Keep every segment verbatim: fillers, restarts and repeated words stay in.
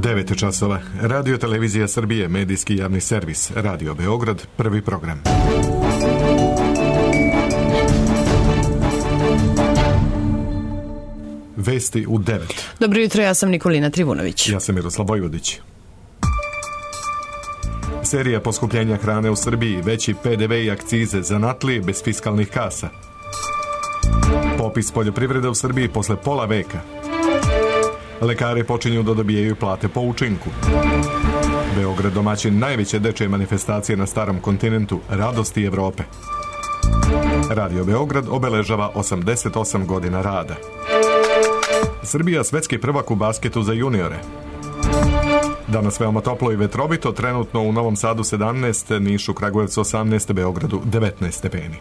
devet časova. Radio Televizija Srbije, medijski javni servis. Radio Beograd, prvi program. Vesti u devet. Dobro jutro, ja sam Nikolina Trivunović. Ja sam Miroslav Vojvodić. Serija poskupljenja hrane u Srbiji, veći P D V i akcize, zanatlije bez fiskalnih kasa. Popis poljoprivrede u Srbiji posle pola veka. Lekari počinju da dobijaju plate po učinku. Beograd domaćin najveće dečje manifestacije na starom kontinentu, radosti Evrope. Radio Beograd obeležava osamdeset osam godina rada. Srbija svetski prvak u basketu za juniore. Danas veoma toplo i vetrovito, trenutno u Novom Sadu sedamnaest, Nišu, Kragujevcu osamnaest, Beogradu devetnaest stepeni.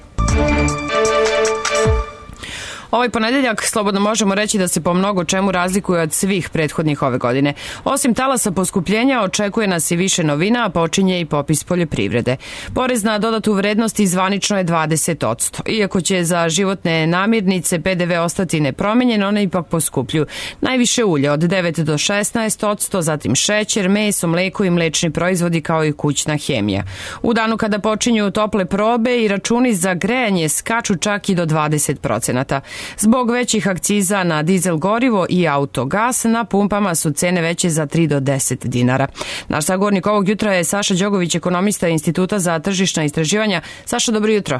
Ovaj ponedeljak slobodno možemo reći da se po mnogo čemu razlikuje od svih prethodnih ove godine. Osim talasa poskupljenja, očekuje nas i više novina, a počinje i popis poljoprivrede. Porez na dodatu vrednost zvanično je dvadeset posto. Iako će za životne namirnice P D V ostati nepromenjen, one ipak poskupljuju. Najviše ulje od devet do šesnaest posto, zatim šećer, meso, mleko i mlečni proizvodi kao i kućna hemija. U danu kada počinju tople probe i računi za grejanje skaču čak i do dvadeset procenata. Zbog većih akciza na dizel gorivo i autogas, na pumpama su cene veće za tri do deset dinara. Naš sagovornik ovog jutra je Saša Đogović, ekonomista Instituta za tržišna istraživanja. Saša, dobro jutro.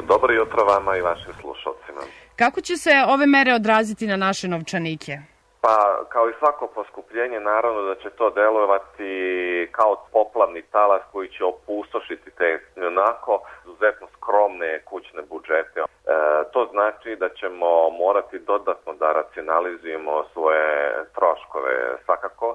Dobro jutro vama i vašim slušalcima. Kako će se ove mere odraziti na naše novčanike? Pa, kao i svako poskupljenje, naravno da će to delovati kao poplavni talas koji će opustošiti te onako izuzetno skromne kućne budžete. E, to znači da ćemo morati dodatno da racionalizujemo svoje troškove. Svakako,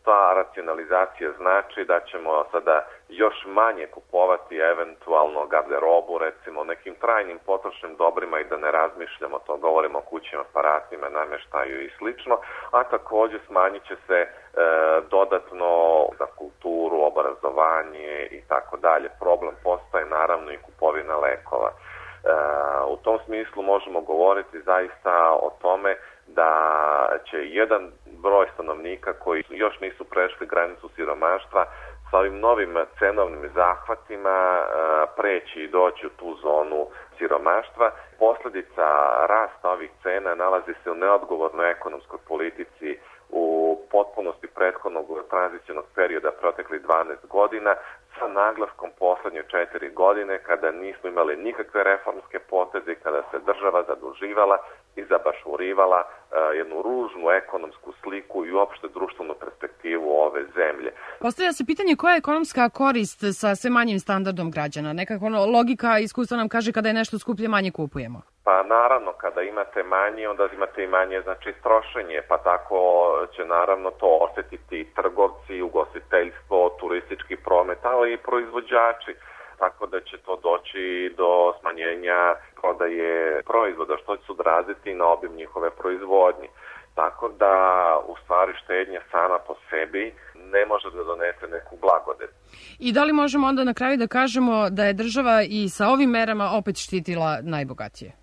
ta racionalizacija znači da ćemo sada još manje kupovati eventualno garderobu, recimo nekim trajnim potrošnim dobrima i da ne razmišljamo, to govorimo o kućnim aparatima, namještaju i slično, a također smanjit će se e, dodatno za kulturu, obrazovanje i tako dalje. Problem postaje naravno i kupovina lekova. E, u tom smislu možemo govoriti zaista o tome da će jedan broj stanovnika koji još nisu prešli granicu siromaštva sa ovim novim cenovnim zahvatima preći i doći u tu zonu siromaštva. Posljedica rasta ovih cena nalazi se u neodgovornoj ekonomskoj politici u potpunosti prethodnog tranzicionog perioda proteklih dvanaest godina sa naglaskom posljednje četiri godine kada nismo imali nikakve reformske poteze, kada se država zaduživala i zabašurivala uh, jednu ružnu ekonomsku sliku i uopšte društvenu perspektivu ove zemlje. Postavlja se pitanje koja je ekonomska korist sa sve manjim standardom građana? Nekako logika iskustva nam kaže kada je nešto skuplje manje kupujemo. Pa naravno, kada imate manje, onda imate i manje znači trošenje, pa tako će naravno to osjetiti i trgovci, ugostiteljstvo, turistički promet, ali i proizvođači. Tako da će to doći do smanjenja prodaje proizvoda, što će se odraziti na obim njihove proizvodnje. Tako da, u stvari, štednja sama po sebi ne može da donese neku blagodet. I da li možemo onda na kraju da kažemo da je država i sa ovim merama opet štitila najbogatije? E,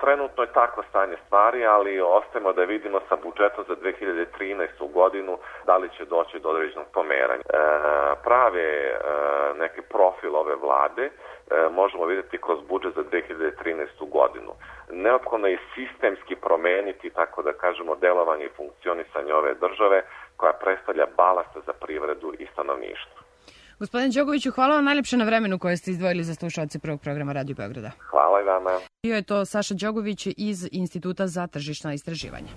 trenutno je takvo stanje stvari, ali ostajemo da vidimo sa budžetom za dve hiljade trinaestu godinu da li će doći do određenog pomeranja. E, prave e, neki profil ove vlade e, možemo vidjeti kroz budžet za dve hiljade trinaestu godinu. Neophodno je sistemski promeniti, tako da kažemo, delovanje i funkcionisanje ove države koja predstavlja balast za privredu i stanovništvo. Gospodine Đogoviću, hvala vam najljepše na vremenu koje ste izdvojili za slušalce prvog programa Radio Beograda. Hvala i vama. Bio je to Saša Đogović iz Instituta za tržišna istraživanja.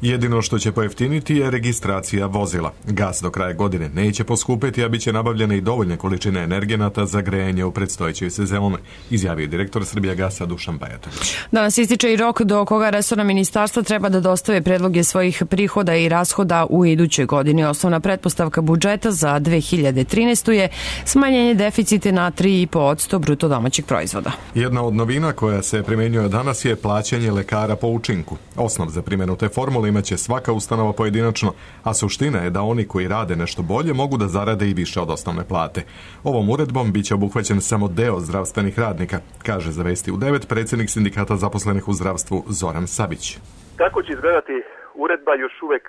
Jedino što će pojeftiniti je registracija vozila. Gas do kraja godine neće poskupeti, a bit će nabavljene i dovoljne količine energenata za grejanje u predstojećoj sezoni, izjavio direktor Srbijagasa Dušan Bajatović. Danas ističe i rok do koga resorna ministarstva treba da dostave predloge svojih prihoda i rashoda u idućoj godini. Osnovna pretpostavka budžeta za dve hiljade trinaestu je smanjenje deficita na tri i po posto bruto domaćeg proizvoda. Jedna od novina koja se primenjuje danas je plaćanje lekara po učinku. Osnov za primjenu te formule imaće svaka ustanova pojedinačno, a suština je da oni koji rade nešto bolje mogu da zarade i više od osnovne plate. Ovom uredbom biće obuhvaćen samo deo zdravstvenih radnika, kaže za Vesti u devet predsjednik sindikata zaposlenih u zdravstvu Zoran Savić. Kako će izgledati uredba još uvek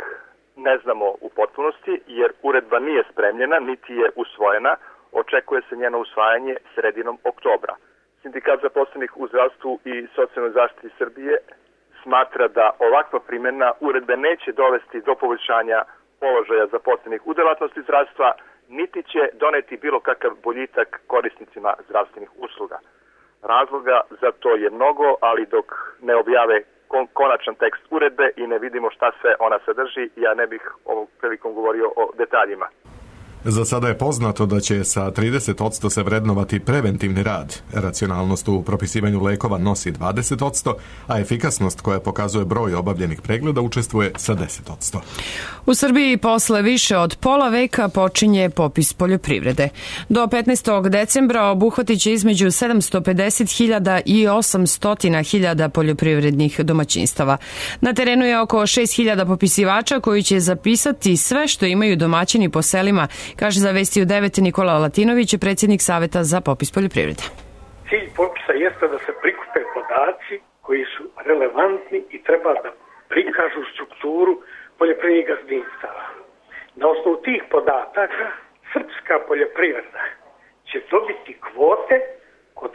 ne znamo u potpunosti, jer uredba nije spremljena, niti je usvojena. Očekuje se njeno usvajanje sredinom oktobra. Sindikat zaposlenih u zdravstvu i socijalnoj zaštiti Srbije smatra da ovakva primjena uredbe neće dovesti do poboljšanja položaja zaposlenih u delatnosti zdravstva, niti će doneti bilo kakav boljitak korisnicima zdravstvenih usluga. Razloga za to je mnogo, ali dok ne objave konačan tekst uredbe i ne vidimo šta sve ona sadrži, ja ne bih ovom prilikom govorio o detaljima. Za sada je poznato da će sa trideset posto se vrednovati preventivni rad. Racionalnost u propisivanju lekova nosi dvadeset posto, a efikasnost koja pokazuje broj obavljenih pregleda učestvuje sa deset posto. U Srbiji posle više od pola veka počinje popis poljoprivrede. Do petnaestog decembra obuhvatit će između sedamsto pedeset hiljada i osamsto hiljada poljoprivrednih domaćinstava. Na terenu je oko šest hiljada popisivača koji će zapisati sve što imaju domaćini po selima, kaže za Vesti u devet Nikola Latinović, predsjednik Saveta za popis poljoprivrede. Cilj popisa jeste da se prikupe podaci koji su relevantni i treba da prikažu strukturu poljoprivrednih gazdinstava. Na osnovu tih podataka srpska poljoprivreda će dobiti kvote kod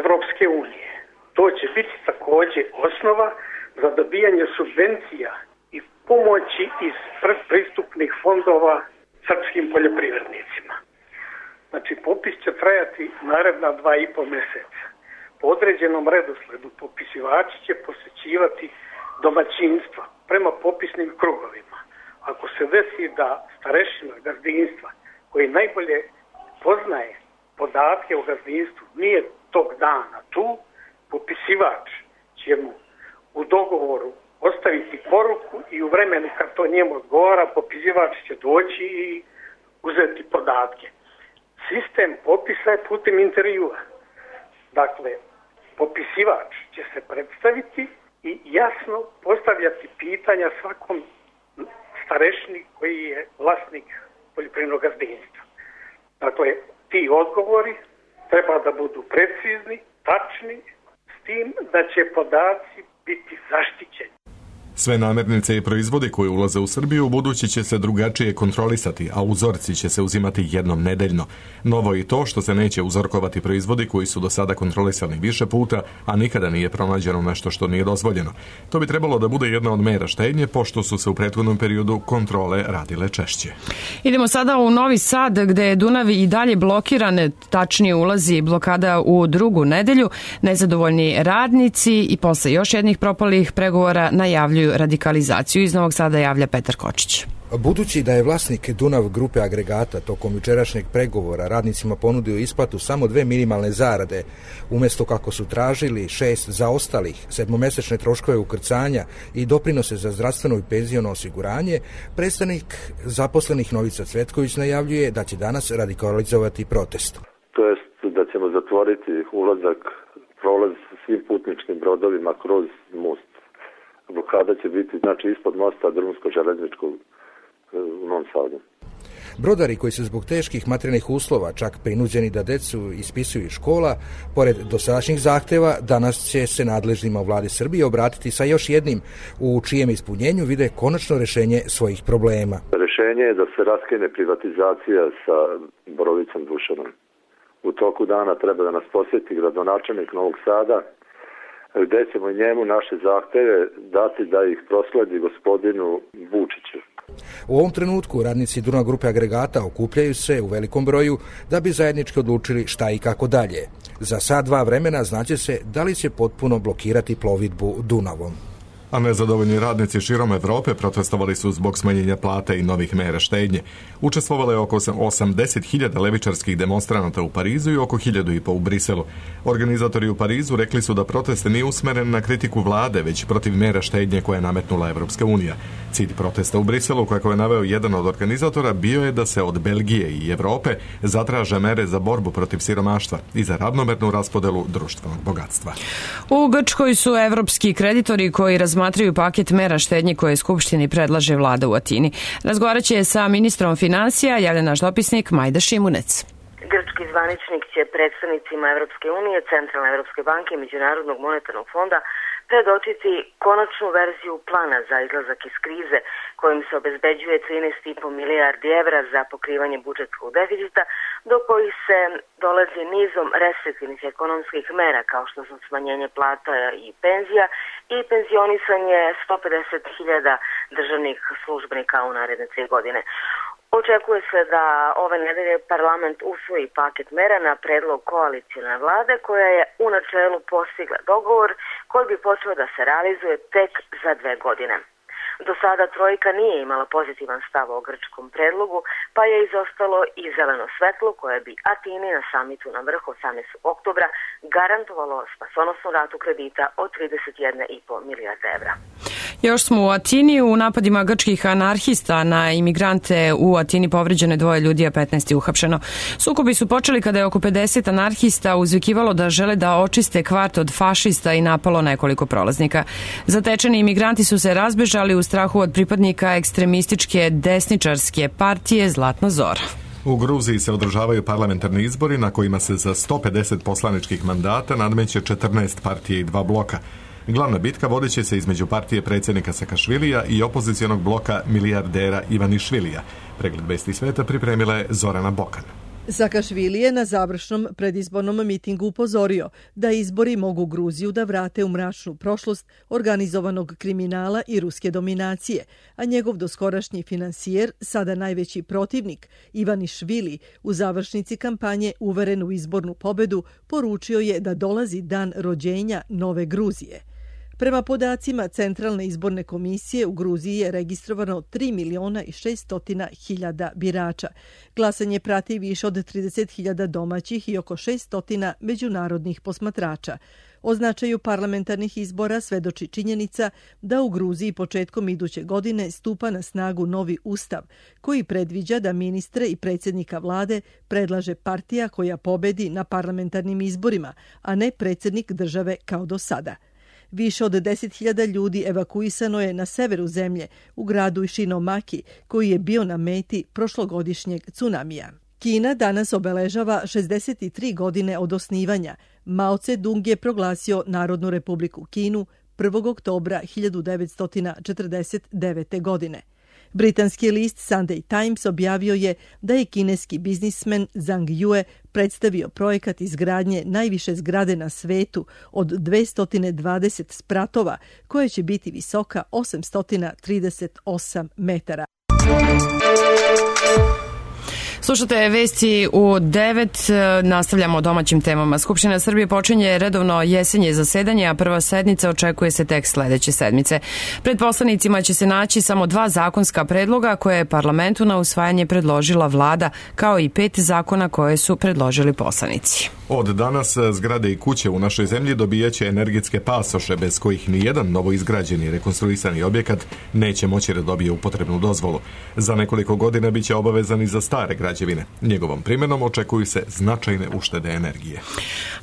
Evropske unije. To će biti također osnova za dobijanje subvencija i pomoći iz pristupnih fondova srpskim poljoprivrednicima. Znači, popis će trajati naredna dva i po mjeseca. Po određenom redosledu popisivači će posjećivati domaćinstva prema popisnim krugovima. Ako se desi da starešina gazdinstva koji najbolje poznaje podatke o gazdinstvu nije tog dana tu, popisivač će mu u dogovoru ostaviti poruku i u vremenu kad to njemu odgovara, popisivač će doći i uzeti podatke. Sistem popisa je putem intervjua. Dakle, popisivač će se predstaviti i jasno postavljati pitanja svakom starešini koji je vlasnik poljoprivrednog gazdinstva. Dakle, ti odgovori treba da budu precizni, tačni, s tim da će podaci biti zaštićeni. Sve namirnice i proizvodi koji ulaze u Srbiju u budući će se drugačije kontrolisati, a uzorci će se uzimati jednom nedeljno. Novo je i to što se neće uzorkovati proizvodi koji su do sada kontrolisani više puta, a nikada nije pronađeno nešto što nije dozvoljeno. To bi trebalo da bude jedna od mera štednje, pošto su se u prethodnom periodu kontrole radile češće. Idemo sada u Novi Sad, gde je Dunav i dalje blokiran, tačnije ulazi blokada u drugu nedelju. Nezadovoljni radnici i posle još jednih propalih pregovora najavljuju radikalizaciju. Iz Novog Sada javlja Petar Kočić. Budući da je vlasnik Dunav grupe agregata tokom jučerašnjeg pregovora radnicima ponudio isplatu samo dve minimalne zarade, umjesto kako su tražili šest zaostalih, sedmomesečne troškove ukrcanja i doprinose za zdravstveno i penziono osiguranje, predstavnik zaposlenih Novica Cvetković najavljuje da će danas radikalizovati protest. To jest da ćemo zatvoriti ulazak, prolaz svim putničkim brodovima kroz most. Blokada će biti, znači, ispod mosta drumsko-železničkog u Novom Sadu. Brodari koji su zbog teških materijalnih uslova čak prinuđeni da decu ispisuju iz škola, pored dosadašnjih zahteva, danas će se nadležnima u vladi Srbije obratiti sa još jednim u čijem ispunjenju vide konačno rješenje svojih problema. Rješenje je da se raskine privatizacija sa Borovicom Dušanom. U toku dana treba da nas posjeti gradonačelnik Novog Sada, gdje ćemo njemu naše zahteve dati da ih prosledi gospodinu Vučiću. U ovom trenutku radnici Dunav grupe agregata okupljaju se u velikom broju da bi zajednički odlučili šta i kako dalje. Za sat dva vremena znaće se da li će potpuno blokirati plovidbu Dunavom. A nezadovoljni radnici širom Evrope protestovali su zbog smanjenja plate i novih mera štednje. Učestvovalo je oko osamdeset hiljada levičarskih demonstranata u Parizu i oko hiljadu i po u Briselu. Organizatori u Parizu rekli su da protest nije usmeren na kritiku vlade, već protiv mera štednje koje je nametnula Evropska unija. Cilj protesta u Briselu, kako je naveo jedan od organizatora, bio je da se od Belgije i Evrope zatraže mere za borbu protiv siromaštva i za ravnomernu raspodelu društvenog bogatstva. U Grčkoj su evropski kreditori koji razmatraju paket mera štednje koje Skupštini predlaže vlada u Atini. Razgovarat će sa ministrom financija, javlja naš dopisnik Majda Šimunec. Grčki zvaničnik će predstavnicima Evropske unije, Centralne Evropske banke i Međunarodnog monetarnog fonda predočiti konačnu verziju plana za izlazak iz krize kojim se obezbeđuje trinaest i po milijardi evra za pokrivanje budžetskog deficita, do kojih se dolazi nizom restriktivnih ekonomskih mera kao što su smanjenje plata i penzija i penzionisanje sto pedeset hiljada državnih službenika u naredne tri godine. Očekuje se da ove nedelje parlament usvoji paket mera na predlog koalicione vlade koja je u načelu postigla dogovor koji bi počeo da se realizuje tek za dve godine. Do sada trojka nije imala pozitivan stav o grčkom predlogu, pa je izostalo i zeleno svetlo koje bi Atini na samitu na vrhu osamnaestog oktobra garantovalo spasonosnu ratu kredita od trideset jedna i po milijarde evra. Još smo u Atini. U napadima grčkih anarhista na imigrante u Atini povređeno je dvoje ljudi, a petnaest je uhapšeno. Sukobi su počeli kada je oko pedeset anarhista uzvikivalo da žele da očiste kvart od fašista i napalo nekoliko prolaznika. Zatečeni imigranti su se razbežali u strahu od pripadnika ekstremističke desničarske partije Zlatna Zora. U Gruziji se održavaju parlamentarni izbori na kojima se za sto pedeset poslaničkih mandata nadmeće četrnaest partije i dva bloka. Glavna bitka vodit će se između partije predsjednika Sakašvilija i opozicionog bloka milijardera Ivanišvilija. Pregled vesti sveta pripremila je Zorana Bokan. Sakašvili je na završnom predizbornom mitingu upozorio da izbori mogu Gruziju da vrate u mračnu prošlost organizovanog kriminala i ruske dominacije, a njegov doskorašnji finansijer, sada najveći protivnik, Ivanišvili, u završnici kampanje uveren u izbornu pobedu, poručio je da dolazi dan rođenja nove Gruzije. Prema podacima Centralne izborne komisije u Gruziji je registrovano tri miliona i šesto hiljada birača. Glasanje prati više od trideset hiljada domaćih i oko šesto međunarodnih posmatrača. O značaju parlamentarnih izbora svedoči činjenica da u Gruziji početkom iduće godine stupa na snagu novi ustav koji predviđa da ministre i predsjednika vlade predlaže partija koja pobedi na parlamentarnim izborima, a ne predsjednik države kao do sada. Više od deset hiljada ljudi evakuisano je na severu zemlje, u gradu Ishinomaki, koji je bio na meti prošlogodišnjeg tsunamija. Kina danas obeležava šezdeset tri godine od osnivanja. Mao Tse-dung je proglasio Narodnu republiku Kinu prvog oktobra hiljadu devetsto četrdeset devete. godine. Britanski list Sunday Times objavio je da je kineski biznismen Zhang Yue predstavio projekat izgradnje najviše zgrade na svetu od dvesta dvadeset spratova, koja će biti visoka osamsto trideset osam metara. Slušate vesti u devet, nastavljamo o domaćim temama. Skupština Srbije počinje redovno jesenje zasedanje, a prva sednica očekuje se tek sledeće sedmice. Pred poslanicima će se naći samo dva zakonska predloga koje je parlamentu na usvajanje predložila vlada, kao i pet zakona koje su predložili poslanici. Od danas zgrade i kuće u našoj zemlji dobijaće energetske pasoše bez kojih nijedan novoizgrađeni rekonstruisani objekat neće moći da dobije upotrebnu dozvolu. Za nekoliko godina biće obavezan i za stare građevine. Njegovom primjenom očekuju se značajne uštede energije.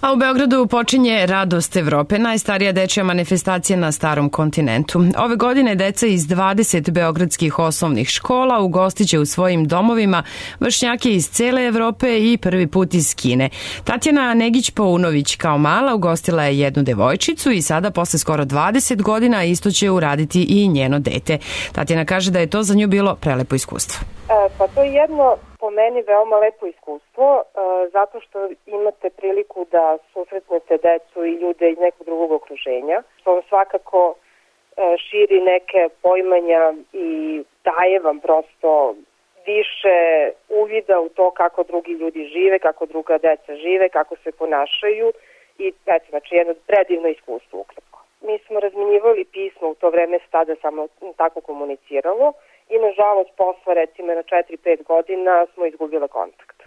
A u Beogradu počinje Radost Evrope, najstarija dečja manifestacija na starom kontinentu. Ove godine deca iz dvadeset beogradskih osnovnih škola ugostiće u svojim domovima vršnjake iz cele Evrope i prvi put iz Kine. Tatjana Negić-Paunović kao mala ugostila je jednu devojčicu i sada posle skoro dvadeset godina isto će uraditi i njeno dete. Tatjana kaže da je to za nju bilo prelepo iskustvo. E, pa to je jedno po meni veoma lepo iskustvo, e, zato što imate priliku da susretnete decu i ljude iz nekog drugog okruženja, što vam svakako e, širi neke pojmanja i daje vam prosto više uvida u to kako drugi ljudi žive, kako druga deca žive, kako se ponašaju i eto, znači jedno predivno iskustvo ukratko. Mi smo razminjivali pismo u to vreme, tada samo tako komuniciralo i nažalost posle recimo na četiri pet godina smo izgubile kontakt.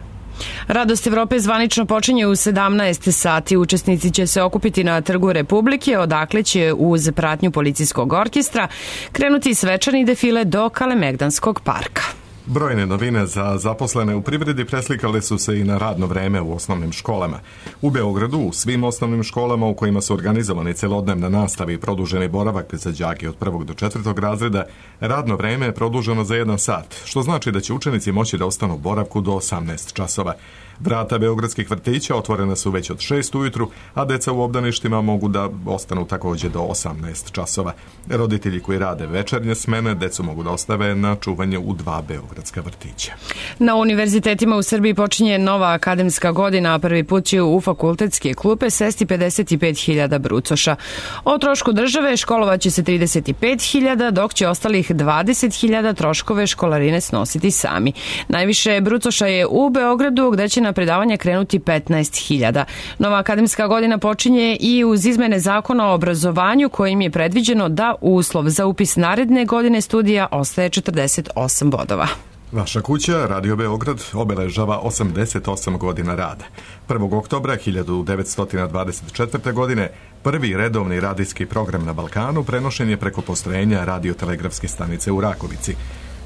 Radost Evrope zvanično počinje u sedamnaest sati. Učesnici će se okupiti na Trgu Republike, odakle će uz pratnju policijskog orkestra krenuti svečani defile do Kalemegdanskog parka. Brojne novine za zaposlene u privredi preslikale su se i na radno vreme u osnovnim školama. U Beogradu, u svim osnovnim školama u kojima su organizovani celodnevna nastava i produženi boravak za đake od prvog do četvrtog razreda, radno vreme je produženo za jedan sat, što znači da će učenici moći da ostanu u boravku do osamnaest časova. Vrata beogradskih vrtića otvorena su već od šest ujutru, a deca u obdaništima mogu da ostanu također do osamnaest časova. Roditelji koji rade večernje smene decu mogu da ostave na čuvanje u dva beogradska vrtića. Na univerzitetima u Srbiji počinje nova akademska godina, a prvi put će u fakultetske klupe sesti pedeset pet hiljada brucoša. O trošku države školovaće se trideset pet hiljada, dok će ostalih dvadeset hiljada troškove školarine snositi sami. Najviše brucoša je u Beogradu, gde će na predavanje krenuti petnaest hiljada. Nova akademska godina počinje i uz izmene zakona o obrazovanju, kojim je predviđeno da uslov za upis naredne godine studija ostaje četrdeset osam bodova. Vaša kuća, Radio Beograd, obeležava osamdeset osam godina rada. prvog oktobra hiljadu devetsto dvadeset četvrte. godine prvi redovni radijski program na Balkanu prenošen je preko postrojenja radiotelegrafske stanice u Rakovici.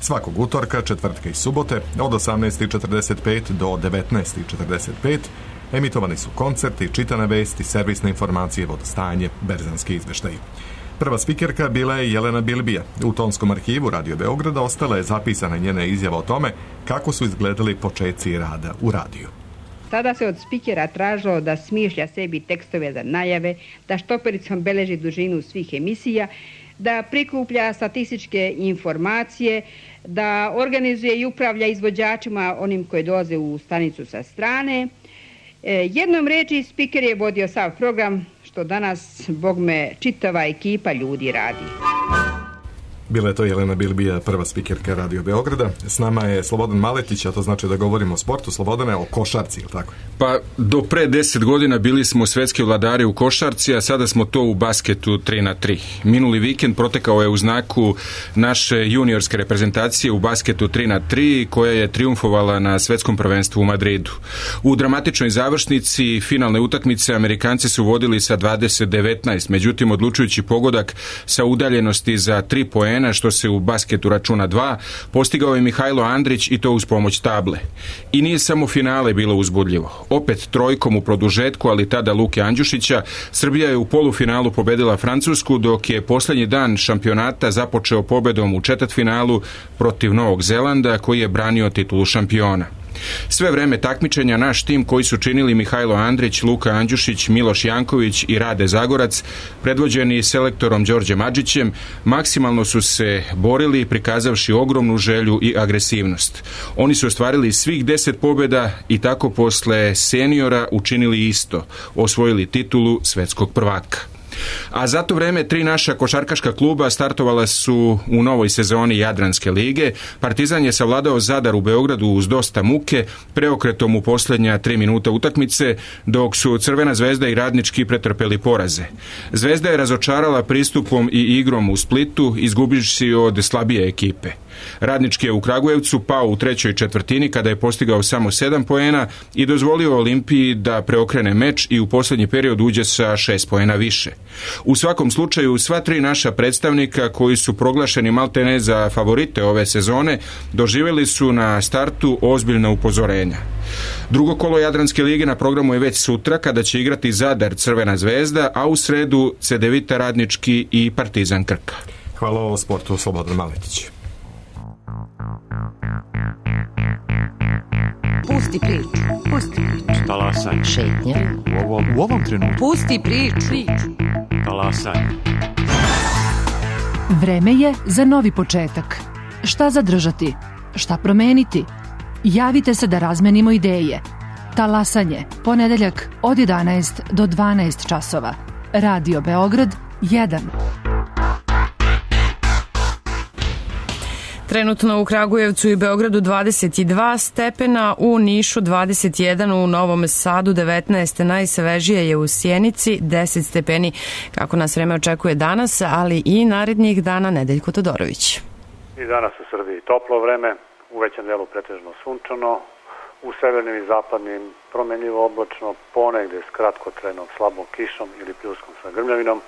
Svakog utorka, četvrtka i subote od osamnaest četrdeset pet do devetnaest četrdeset pet emitovani su koncerti, čitane vesti, servisne informacije, vodostajanje, berzanski izveštaji. Prva spikerka bila je Jelena Bilbija. U tonskom arhivu Radio Beograda ostala je zapisana njena izjava o tome kako su izgledali počeci rada u radiju. Tada se od spikera tražilo da smišlja sebi tekstove za najave, da štopericom beleži dužinu svih emisija, da prikuplja statističke informacije, da organizuje i upravlja izvođačima, onim koji dolaze u stanicu sa strane. Jednom reči, spiker je vodio sav program, što danas, bogme, čitava ekipa ljudi radi. Bila je to Jelena Bilbija, prva spikerka Radio Beograda. S nama je Slobodan Maletić, a to znači da govorimo o sportu. Slobodane, o košarci, ili tako? Pa, do pre deset godina bili smo svetski vladari u košarci, a sada smo to u basketu tri na tri. Minuli vikend protekao je u znaku naše juniorske reprezentacije u basketu tri na tri, koja je triumfovala na svetskom prvenstvu u Madridu. U dramatičnoj završnici finalne utakmice Amerikanci su vodili sa dvadeset devetnaest, međutim odlučujući pogodak sa udaljenosti za tri poena, što se u basketu računa dva, postigao je Mihajlo Andrić i to uz pomoć table. I nije samo finale bilo uzbudljivo. Opet trojkom u produžetku, ali tada Luke Andjušića, Srbija je u polufinalu pobedila Francusku, dok je posljednji dan šampionata započeo pobedom u četvrtfinalu protiv Novog Zelanda, koji je branio titulu šampiona. Sve vreme takmičenja naš tim koji su činili Mihajlo Andrić, Luka Andjušić, Miloš Janković i Rade Zagorac, predvođeni selektorom Đorđem Adžićem, maksimalno su se borili, prikazavši ogromnu želju i agresivnost. Oni su ostvarili svih deset pobjeda i tako posle seniora učinili isto, osvojili titulu svetskog prvaka. A za to vreme tri naša košarkaška kluba startovala su u novoj sezoni Jadranske lige. Partizan je savladao Zadar u Beogradu uz dosta muke, preokretom u posljednja tri minuta utakmice, dok su Crvena zvezda i Radnički pretrpeli poraze. Zvezda je razočarala pristupom i igrom u Splitu, izgubivši od slabije ekipe. Radnički je u Kragujevcu pao u trećoj četvrtini kada je postigao samo sedam poena i dozvolio Olimpiji da preokrene meč i u posljednji period uđe sa šest poena više. U svakom slučaju, sva tri naša predstavnika koji su proglašeni maltene za favorite ove sezone doživjeli su na startu ozbiljna upozorenja. Drugo kolo Jadranske lige na programu je već sutra kada će igrati Zadar Crvena zvezda, a u sredu Cedevita Radnički i Partizan Krka. Hvala o sportu, Slobodan Maletić. Pusti priču, pusti priču. Talasaj. Šetnja. U ovom, u ovom trenutku. Pusti priču. Talasaj. Vreme je za novi početak. Šta zadržati? Šta promeniti? Javite se da razmenimo ideje. Talasanje, ponedeljak od jedanaest do dvanaest časova. Radio Beograd jedan. Trenutno u Kragujevcu i Beogradu dvadeset dva stepena, u Nišu dvadeset jedan, u Novom Sadu devetnaest, najsvežije je u Sjenici deset stepeni, kako nas vreme očekuje danas, ali i narednih dana. Nedeljko Todorović. I danas u Srbiji toplo vreme, u većem delu pretežno sunčano, u severnim i zapadnim promenljivo oblačno, ponegde s kratkotrenom slabom kišom ili pljuskom sa grmljavinom,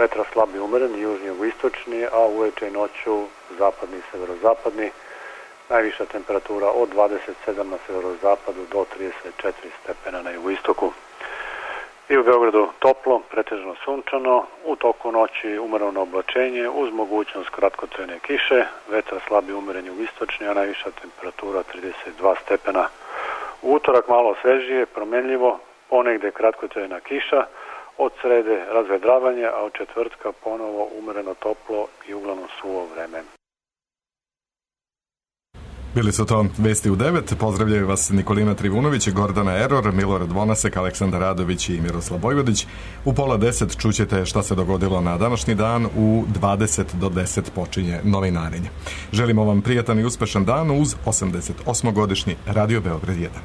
vetra slab i umeren, južni jugoistočni, a uveče i noću zapadni i severozapadni, Najviša temperatura od dvadeset sedam na severozapadu do trideset četiri stepena na jugoistoku. I u Beogradu toplo, pretežno sunčano, u toku noći umereno oblačenje uz mogućnost kratkotrajne kiše, vetar slabi umeren jugoistočni, a najviša temperatura trideset dva stepena. U utorak malo svežije, promenljivo, ponegde kratkotrajna kiša, od srede razvedravanje, a od četvrtka ponovo umereno toplo i uglavnom suvo vreme. Bili su to Vesti u devet. Pozdravljaju vas Nikolina Trivunović, Gordana Eror, Milorad Vonasek, Aleksandar Radović i Miroslav Vojvodić. U pola deset čućete šta se dogodilo na današnji dan. U dvadeset do deset počinje novinarenje. Želimo vam prijatan i uspešan dan uz osamdeset osmogodišnji Radio Beograd jedan.